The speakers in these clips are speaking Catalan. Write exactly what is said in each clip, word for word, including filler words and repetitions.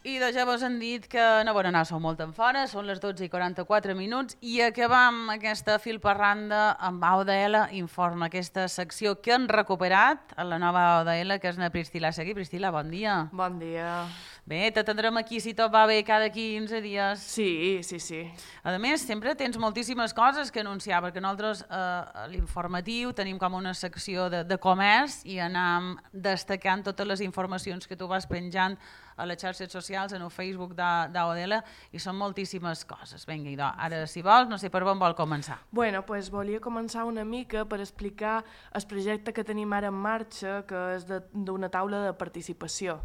I de ja vos han dit que no volen anar, sou molt en fora, són les dotze i quaranta-quatre minuts i acabam aquesta filparranda amb A O D L Informa, aquesta secció que han recuperat a la nova A O D L, que és na Priscila Seguí. Priscila, bon dia. Bon dia. Bé, t'atendrem aquí si tot va bé cada quinze dies. Sí, sí, sí. A més, sempre tens moltíssimes coses que anunciar, perquè nosaltres eh, a l'informatiu tenim com una secció de, de comerç i anam destacant totes les informacions que tu vas penjant a les xarxes socials, en el Facebook d'A O D L, i són moltíssimes coses. Vinga, idò, ara, si vols, no sé per on vol començar. Bueno, pues volia començar una mica per explicar el projecte que tenim ara en marxa, que és d'una taula de participació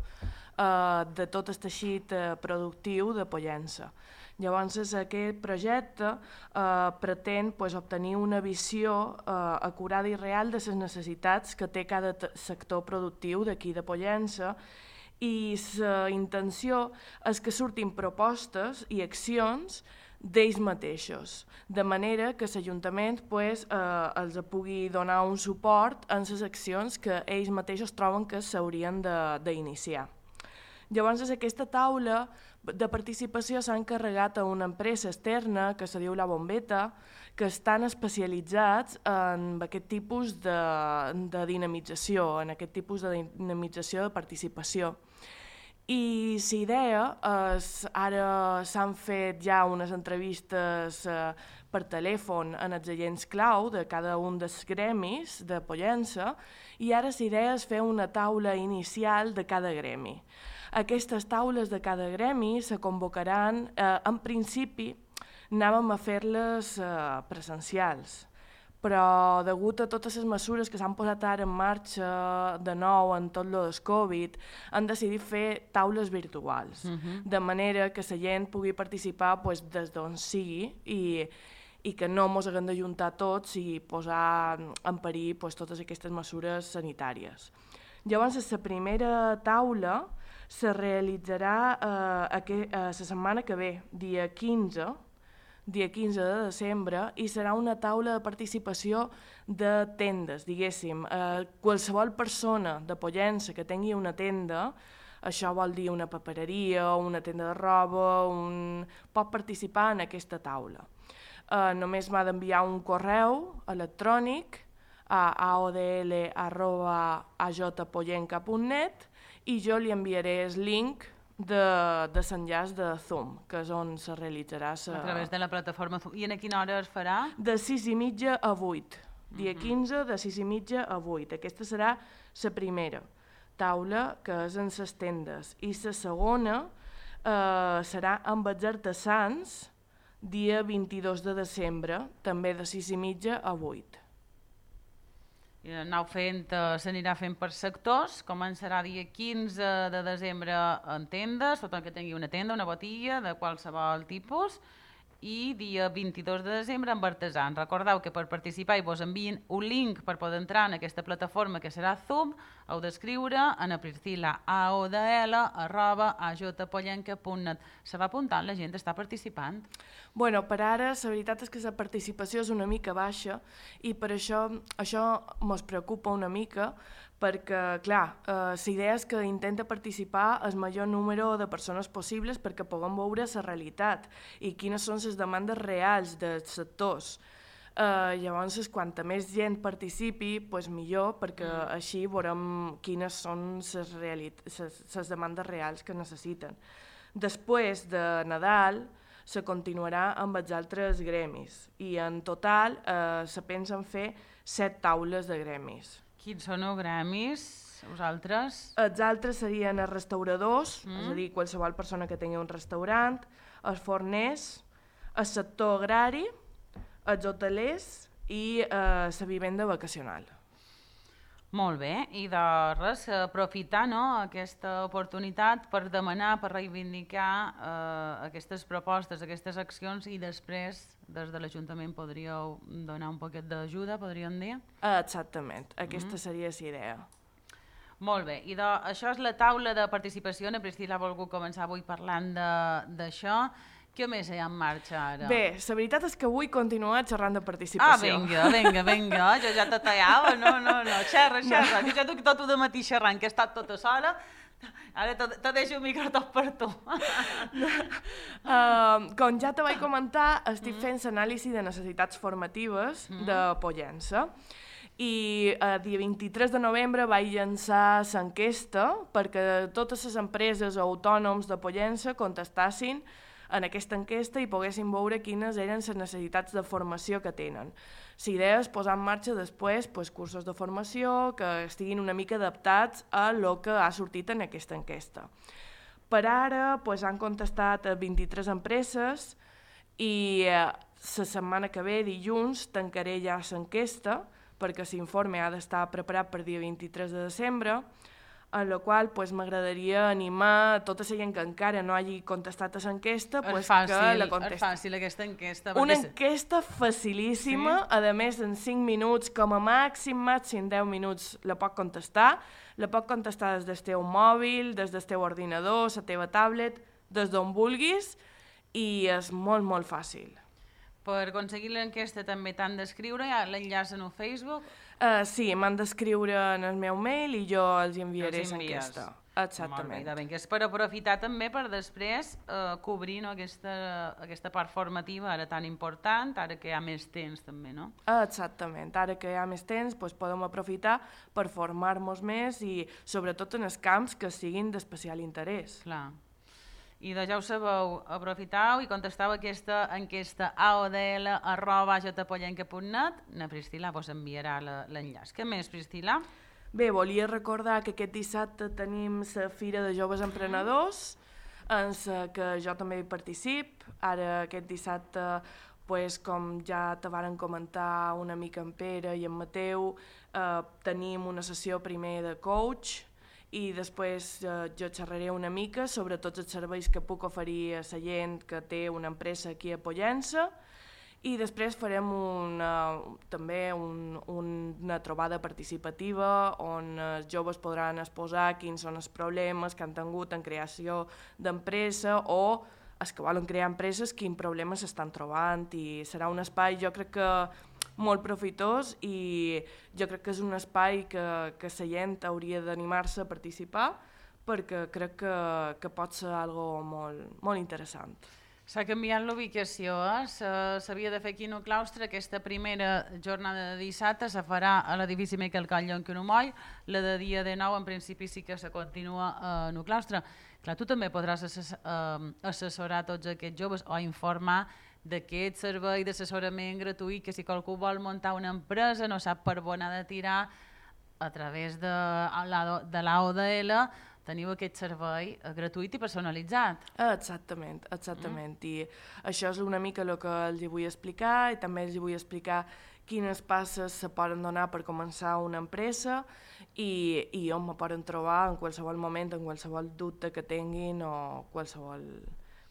eh, de tot el teixit eh, productiu de Pollença. Llavors, aquest projecte eh, pretén pues, obtenir una visió eh, acurada i real de les necessitats que té cada sector productiu d'aquí de Pollença, i la intenció és que surtin propostes i accions d'ells mateixos, de manera que l'Ajuntament pues, eh, els pugui donar un suport en les accions que ells mateixos troben que s'haurien d'iniciar. Llavors, aquesta taula de participació s'ha encarregat a una empresa externa que se diu La Bombeta, que estan especialitzats en aquest tipus de, de dinamització, en aquest tipus de dinamització de participació. I la idea és, ara s'han fet ja unes entrevistes eh, per telèfon en els agents clau de cada un dels gremis de Pollença, i ara la idea és fer una taula inicial de cada gremi. Aquestes taules de cada gremi se convocaran, eh, en principi anàvem a fer-les eh, presencials, però degut a totes les mesures que s'han posat ara en marxa de nou en tot lo del Covid, han decidit fer taules virtuals, uh-huh. de manera que la gent pugui participar pues, des d'on sigui i, i que no mos haguem d'ajuntar tots i posar en perill pues, totes aquestes mesures sanitàries. Llavors, la primera taula se realitzarà eh, aqu- eh, la setmana que ve, dia quinze, dia quinze de desembre, i serà una taula de participació de tendes, diguéssim. Eh, qualsevol persona de Pollença que tingui una tenda, això vol dir una papereria, una tenda de roba, un... pot participar en aquesta taula. Eh, només m'ha d'enviar un correu electrònic a aodl arroba a j pollenca punt net i jo li enviaré el link de, de l'enllaç de Zoom, que és on se realitzarà sa... A través de la plataforma Zoom. I a quina hora es farà? De sis i mitja a vuit. Dia quinze, de sis i mitja a vuit. Aquesta serà la primera taula, que és en les tendes. I la segona eh, serà amb els artesans, dia vint-i-dos de desembre, també de sis i mitja a vuit. I anau fent, eh, s'anirà fent per sectors, començarà dia quinze de desembre en tendes, tot el que tingui una tenda, una botiga de qualsevol tipus, i dia vint-i-dos de desembre amb artesans. Recordeu que per participar i vos envien un link per poder entrar en aquesta plataforma que serà Zoom, heu d'escriure a na Priscila aodl arroba a j pollenca punt net. Se va apuntant, la gent està participant? Bueno, per ara la veritat és que la participació és una mica baixa i per això això ens preocupa una mica, perquè, clar, eh, la idea és que intenta participar el major número de persones possibles perquè puguem veure la realitat i quines són les demandes reals dels sectors. Eh, llavors, quanta més gent participi, pues millor, perquè mm. així veurem quines són les les demandes reals que necessiten. Després de Nadal, se continuarà amb els altres gremis i en total eh, se pensen fer set taules de gremis. Quins són els gremis, vosaltres? Els altres serien els restauradors, mm. és a dir, qualsevol persona que tingui un restaurant, els forners, el sector agrari, els hotelers i eh, la vivenda vacacional. Molt bé, i de res, aprofitar no, aquesta oportunitat per demanar, per reivindicar eh, aquestes propostes, aquestes accions i després des de l'Ajuntament podríeu donar un poquet d'ajuda, podríem dir? Exactament, aquesta mm-hmm. seria la idea. Molt bé, i de, això és la taula de participació, na Priscila ha volgut començar avui parlant d'això. Què més hi ha en marxa ara? Bé, la veritat és que vull continuar xerrant de participació. Ah, vinga, vinga, vinga, jo ja te tallava, no, no, no, xerra, xerra, que ja duc tot el matí xerrant, que he estat tota sola. Ara te, te deixo el micro tot per tu. uh, com ja te vaig comentar, estic fent l'anàlisi de necessitats formatives mm. de Pollença. I el dia vint-i-tres de novembre vaig llançar l'enquesta perquè totes les empreses o autònoms de Pollença contestassin en aquesta enquesta i poguessin veure quines eren les necessitats de formació que tenen. La idea és posar en marxa després pues, cursos de formació que estiguin una mica adaptats a lo que ha sortit en aquesta enquesta. Per ara pues, han contestat vint-i-tres empreses i la eh, setmana que ve, dilluns, tancaré ja l'enquesta perquè l'informe ha d'estar preparat per dia vint-i-tres de desembre, en la qual pues, m'agradaria animar tota la gent que encara no hagi contestat a l'enquesta pues, que la contesti. És fàcil aquesta enquesta. Una enquesta facilíssima, sí? A més en cinc minuts, com a màxim, màxim deu minuts la pot contestar. La pot contestar des del teu mòbil, des del teu ordinador, la teva tablet, des d'on vulguis, i és molt, molt fàcil. Per aconseguir l'enquesta també t'han d'escriure, l'enllaç en el Facebook? Uh, sí, m'han d'escriure en el meu mail i jo els enviaré l'enquesta. Exactament. Molt bé, que és per aprofitar també per després eh, cobrir no, aquesta, aquesta part formativa ara tan important, ara que hi ha més temps també, no? Exactament, ara que hi ha més temps doncs podem aprofitar per formar-nos més i sobretot en els camps que siguin d'especial interès. Clar. I de ja ho sabeu, aprofitau i contestau aquesta enquesta a o d l arroba j pollenca punt net. Na Priscila vos enviarà l'enllaç. Què més, Priscila? Bé, volia recordar que aquest dissabte tenim la Fira de Joves Emprenedors, en la que jo també hi particip. Ara aquest dissabte, pues, com ja te varen comentar una mica en Pere i en Mateu, eh, tenim una sessió primer de coach, i després eh, jo xerraré una mica sobre tots els serveis que puc oferir a la gent que té una empresa aquí a Pollença i després farem una, també un, una trobada participativa on els joves podran exposar quins són els problemes que han tingut en creació d'empresa o els que volen crear empreses quins problemes s'estan trobant i serà un espai jo crec que molt profitós i jo crec que és un espai que, que la gent hauria d'animar-se a participar perquè crec que, que pot ser algo molt, molt interessant. S'ha canviat l'ubicació, eh? S'havia de fer aquí en el claustre, aquesta primera jornada de dissabte se farà a l'edifici Miquel Coll en Quinomoll, la de dia de nou en principi sí que se continua en el claustre. Clar, tu també podràs assessorar tots aquests joves o informar d'aquest servei d'assessorament gratuït que si qualcú vol muntar una empresa no sap per on ha de tirar a través de l'A O D L teniu aquest servei gratuït i personalitzat. Exactament, exactament. Mm. I això és una mica el que els vull explicar i també els vull explicar quines passes se poden donar per començar una empresa i, i on me poden trobar en qualsevol moment, en qualsevol dubte que tinguin o qualsevol...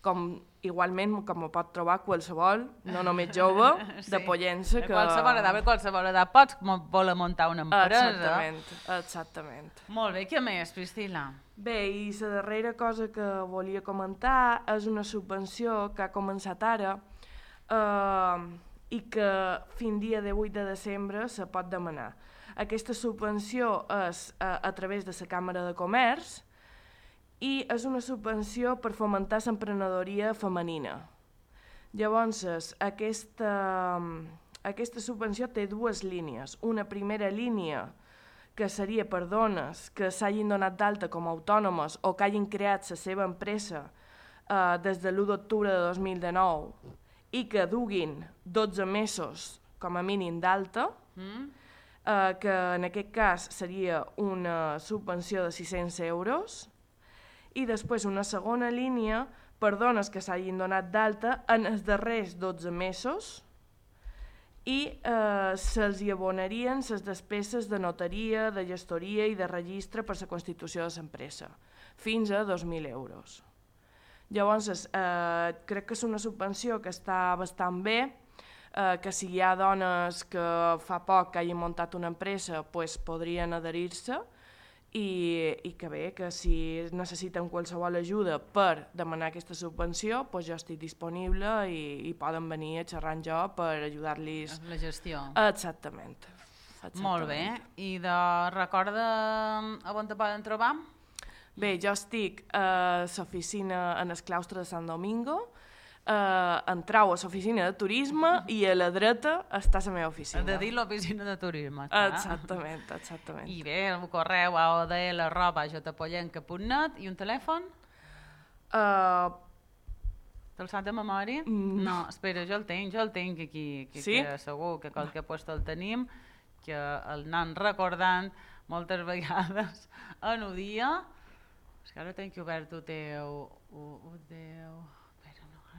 com igualment com me pot trobar qualsevol, no només jove, sí. de Pollença. Que... Qualsevol edat, qualsevol edat pots voler muntar una empresa. Exactament, exactament. Molt bé, què més, Priscila? Bé, i la darrera cosa que volia comentar és una subvenció que ha començat ara eh, i que fins dia de vuit de desembre se pot demanar. Aquesta subvenció és a, a través de la Càmera de Comerç i és una subvenció per fomentar l'emprenedoria femenina. Llavors, aquesta, aquesta subvenció té dues línies. Una primera línia que seria per dones que s'hagin donat d'alta com a autònomes o que hagin creat la seva empresa eh, des de l'u d'octubre de dos mil dinou i que duguin dotze mesos com a mínim d'alta, mm. eh, que en aquest cas seria una subvenció de sis-cents euros, i després una segona línia per dones que s'hagin donat d'alta en els darrers dotze mesos i eh, se'ls hi abonarien les despeses de notaria, de gestoria i de registre per la constitució de l'empresa, fins a dos mil euros. Llavors, eh, crec que és una subvenció que està bastant bé, eh, que si hi ha dones que fa poc que hagin muntat una empresa, pues, podrien adherir-se, I, i que bé, que si necessiten qualsevol ajuda per demanar aquesta subvenció, doncs jo estic disponible i, i poden venir a xerrar amb jo per ajudar-los... La gestió. Exactament. Exactament. Molt bé. I de recorda on te poden trobar? Bé, jo estic a l'oficina en el claustre de Sant Domingo, Uh, entrau a l'oficina de turisme i a la dreta està la meva oficina. Has de dir l'oficina de turisme. Exactament, exactament. I bé, el correu a o d l arroba j pollenca punt net i un telèfon? Uh, Te'l sap de memòria? Mm. No, espera, jo el tinc, jo el tinc aquí, que, sí? que segur que qualque puesto el tenim, que el anem recordant moltes vegades en un dia. És que ara tenc obert ho teu, ho, ho teu...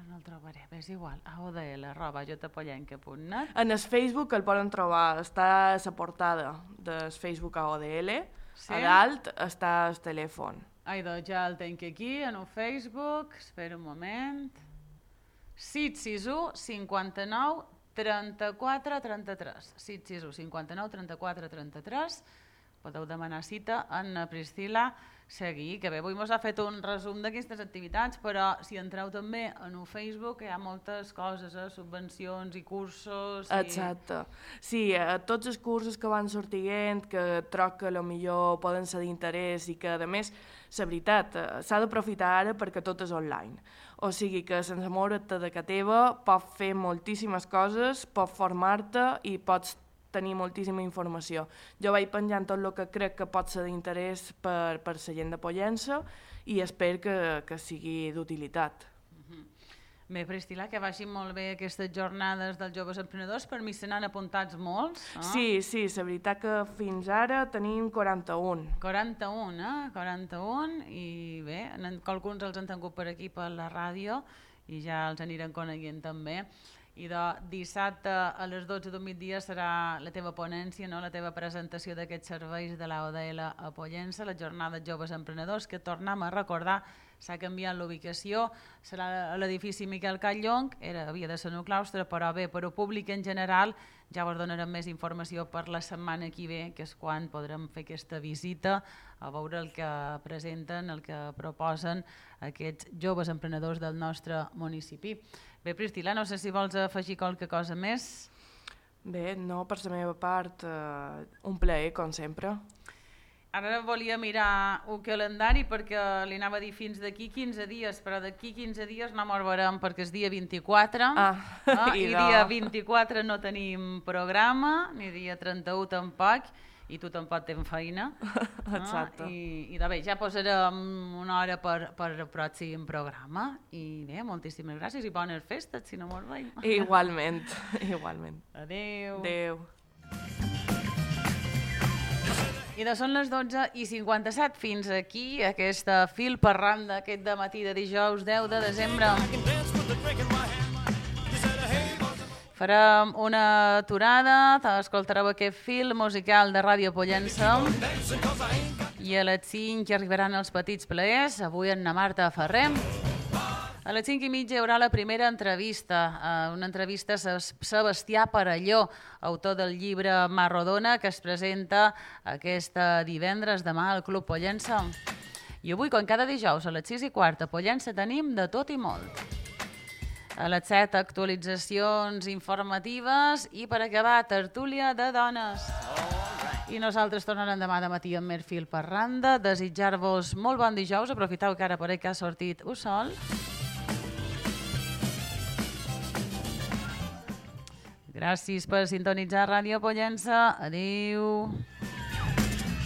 no el trobaré, és igual, a o d l arroba j pollenca punt net. En el Facebook el poden trobar, està a la portada del Facebook a o d l, sí? A dalt està el telèfon. Ai, doncs ja el tenc aquí, en el Facebook, espera un moment. sis sis u cinquanta-nou trenta-quatre trenta-tres. sis sis u cinquanta-nou trenta-quatre trenta-tres. Podeu demanar cita en Priscila Seguí, que bé, avui ens ha fet un resum d'aquestes activitats, però si entreu també en el Facebook hi ha moltes coses, eh? Subvencions i cursos... I... Exacte. Sí, eh, tots els cursos que van sortint, que troc que potser poden ser d'interès i que, a més, la veritat, eh, s'ha d'aprofitar ara perquè tot és online. O sigui que sense moure't de casa teva pots fer moltíssimes coses, pots formar-te i pots tenir moltíssima informació. Jo vaig penjant tot el que crec que pot ser d'interès per, per la gent de Pollença i espero que, que sigui d'utilitat. Uh-huh. Bé, Priscila, que vagin molt bé aquestes jornades dels joves emprenedors. Per mi se n'han apuntats molts. Eh? Sí, sí, la veritat que fins ara tenim quaranta-un. quaranta-un, eh? quaranta-un, i bé, alguns els han tingut per aquí per la ràdio i ja els anirem coneguent també. I de dissabte a les dotze del migdia serà la teva ponència, no? La teva presentació d'aquests serveis de l'A O D L a Pollença, la jornada de joves emprenedors, que tornem a recordar, s'ha canviat l'ubicació, serà a l'edifici Miquel Catllong, era, havia de ser en el claustre, però bé, per al públic en general ja us donarem més informació per la setmana que ve, que és quan podrem fer aquesta visita a veure el que presenten, el que proposen aquests joves emprenedors del nostre municipi. Bé, Priscila, no sé si vols afegir qualque cosa més. Bé, no, per la meva part, eh, un plaer, com sempre. Ara volia mirar un calendari perquè li anava a dir fins d'aquí quinze dies, però d'aquí quinze dies no me'n veurem perquè és dia vint-i-quatre, ah, no? I, I dia vint-i-quatre no tenim programa, ni dia trenta-u tampoc, i tu tampoc tens feina. Exacte. No? I, i de bé, ja posarem una hora per, per el pròxim programa. I bé, moltíssimes gràcies i bones festes, si no mos veiem. Igualment, igualment. Adéu. Adéu. I de són les dotze i cinquanta-set fins aquí aquesta fil per randa aquest dematí de dijous deu de desembre. Farem una aturada, escoltareu aquest fil musical de Ràdio Pollença i a les cinc arribaran els petits plaers, avui en na Marta Ferrer. A les cinc i mitja hi haurà la primera entrevista, una entrevista a Sebastià Parelló, autor del llibre Mar Rodona, que es presenta aquest divendres demà al Club Pollença. I avui, com cada dijous, a les sis i quart a Pollença tenim de tot i molt. A les set, actualitzacions informatives i per acabar, tertúlia de dones. I nosaltres tornarem demà de matí amb més fil per randa. Desitjar-vos molt bon dijous, aprofiteu que ara per aquí ha sortit el sol. Gràcies per sintonitzar Ràdio Pollença. Adéu.